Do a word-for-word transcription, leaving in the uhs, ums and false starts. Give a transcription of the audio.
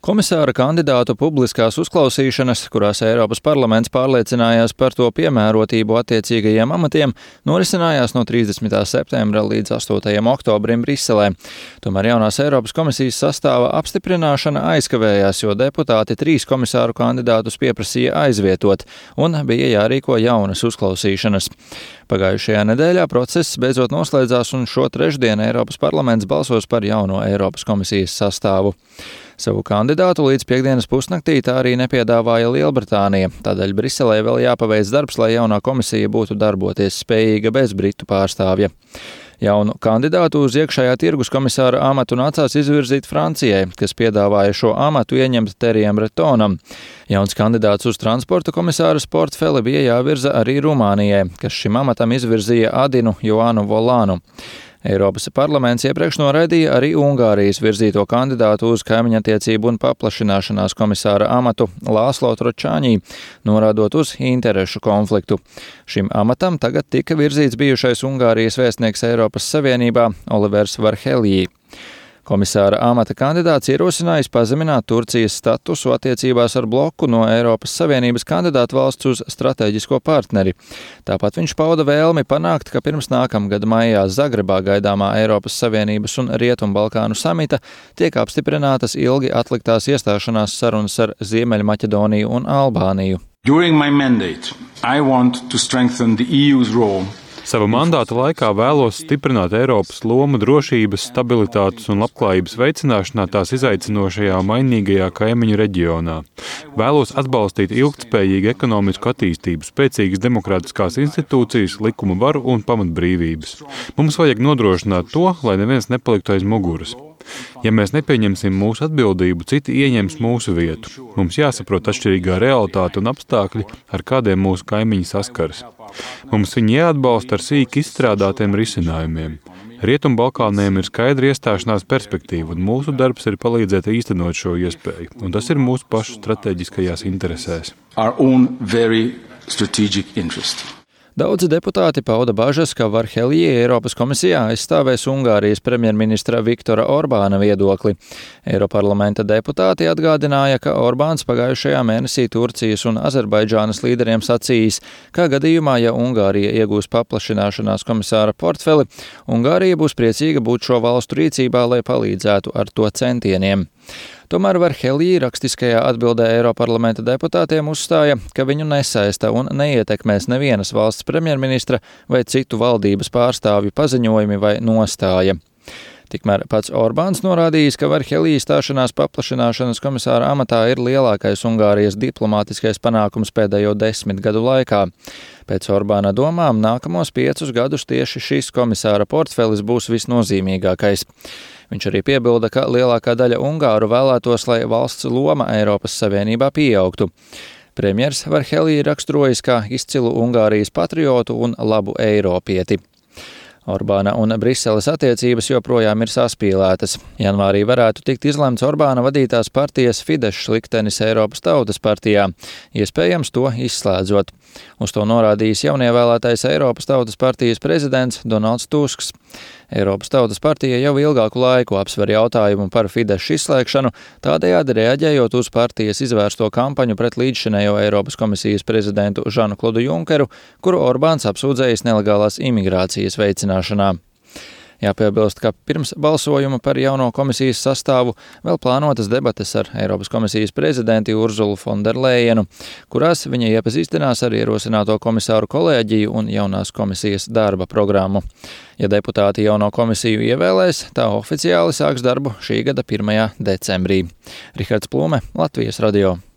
Komisāra kandidātu publiskās uzklausīšanas, kurās Eiropas parlaments pārliecinājās par to piemērotību attiecīgajiem amatiem, norisinājās no trīsdesmitā septembra līdz astotajam oktobrim Briselē. Tomēr jaunās Eiropas komisijas sastāva apstiprināšana aizkavējās, jo deputāti trīs komisāru kandidātus pieprasīja aizvietot un bija jārīko jaunas uzklausīšanas. Pagājušajā nedēļā process beidzot noslēdzās un šo trešdienu Eiropas parlaments balsos par jauno Eiropas komisijas sastāvu. Savu kandidātu līdz piektdienas pusnaktī tā arī nepiedāvāja Lielbritānija, tādēļ Briselē vēl jāpaveic darbs, lai jaunā komisija būtu darboties spējīga bez britu pārstāvja. Jaunu kandidātu uz iekšējā tirgus komisāra amatu nācās izvirzīt Francijai, kas piedāvāja šo amatu ieņemt Terijam Bretonam. Jauns kandidāts uz transporta komisāra portfeli bija jāvirza arī Rumānijai, kas šim amatam izvirzīja Adinu Joanu Volānu. Eiropas parlaments iepriekš noraidīja arī Ungārijas virzīto kandidātu uz kaimiņattiecību un paplašināšanās komisāra amatu Lāslo Tročāņī, norādot uz interešu konfliktu. Šim amatam tagad tika virzīts bijušais Ungārijas vēstnieks Eiropas Savienībā Olivers Varheljī. Komisāra amata kandidāts ierosinājis pazemināt Turcijas statusu attiecībās ar bloku no Eiropas Savienības kandidātu valsts uz strateģisko partneri. Tāpat viņš pauda vēlmi panākt, ka pirms nākamgada maijā Zagrebā gaidāmā Eiropas Savienības un Rietumbalkānu samita tiek apstiprinātas ilgi atliktās iestāšanās sarunas ar Ziemeļmaķedoniju un Albāniju. During my mandate, I want to strengthen the E U's role. Sava mandāta laikā vēlos stiprināt Eiropas lomu drošības, stabilitātes un labklājības veicināšanā tās izaicinošajā mainīgajā kaimiņu reģionā. Vēlos atbalstīt ilgtspējīgu ekonomisku attīstību, spēcīgas demokrātiskās institūcijas, likuma varu un pamatbrīvības. Mums vajag nodrošināt to, lai neviens nepaliktu aiz muguras. Ja mēs nepieņemsim mūsu atbildību, citi ieņems mūsu vietu. Mums jāsaprot atšķirīgā realitāte un apstākļi, ar kādiem mūsu kaimiņi saskaras. Mums viņi jāatbalsta ar sīki izstrādātiem risinājumiem. Rietumbalkāniem ir skaidra iestāšanās perspektīva, un mūsu darbs ir palīdzēt īstenot šo iespēju, un tas ir mūsu pašu strateģiskajās interesēs. Daudzi deputāti pauda bažas, ka Varheljī Eiropas komisijā aizstāvēs Ungārijas premjerministra Viktora Orbāna viedokli. Eiroparlamenta deputāti atgādināja, ka Orbāns pagājušajā mēnesī Turcijas un Azerbaidžānas līderiem sacījis, ka gadījumā, ja Ungārija iegūs paplašināšanās komisāra portfeli, Ungārija būs priecīga būt šo valstu rīcībā, lai palīdzētu ar to centieniem. Tomēr Varheljī rakstiskajā atbildē Eiroparlamenta deputātiem uzstāja, ka viņu nesaista un neietekmēs nevienas valsts premjerministra vai citu valdības pārstāvju paziņojumi vai nostāja. Tikmēr pats Orbāns norādījis, ka Varheljī stāšanās paplašināšanas komisāra amatā ir lielākais Ungārijas diplomātiskais panākums pēdējo desmit gadu laikā. Pēc Orbāna domām nākamos piecus gadus tieši šis komisāra portfelis būs visnozīmīgākais. Viņš arī piebilda, ka lielākā daļa ungāru vēlētos, lai valsts loma Eiropas Savienībā pieaugtu. Premjers Varheljī raksturojas kā izcilu Ungārijas patriotu un labu eiropieti. Orbāna un Briseles attiecības joprojām ir saspīlētas. Janvārī varētu tikt izlemts Orbāna vadītās partijas Fidesz liktenis Eiropas Tautas partijā, iespējams to izslēdzot. Uz to norādījis jaunievēlētais Eiropas Tautas partijas prezidents Donalds Tusks. Eiropas Tautas partija jau ilgāku laiku apsver jautājumu par Fidesz izslēgšanu, tādējādi reaģējot uz partijas izvērsto kampaņu pret līdzšinējo Eiropas komisijas prezidentu Žanu Klodu Junkeru, kuru Orbāns apsūdzējis nelegālās imigrācijas veicināšanā. Jāpiebilst, ka pirms balsojuma par jauno komisijas sastāvu vēl plānotas debates ar Eiropas komisijas prezidenti Urzulu Fonderlejenu, kurās viņa iepazīstinās ar ierosināto komisāru kolēģiju un jaunās komisijas darba programmu. Ja deputāti jauno komisiju ievēlēs, tā oficiāli sāks darbu šī gada pirmajā decembrī. Rihards Plūme, Latvijas radio.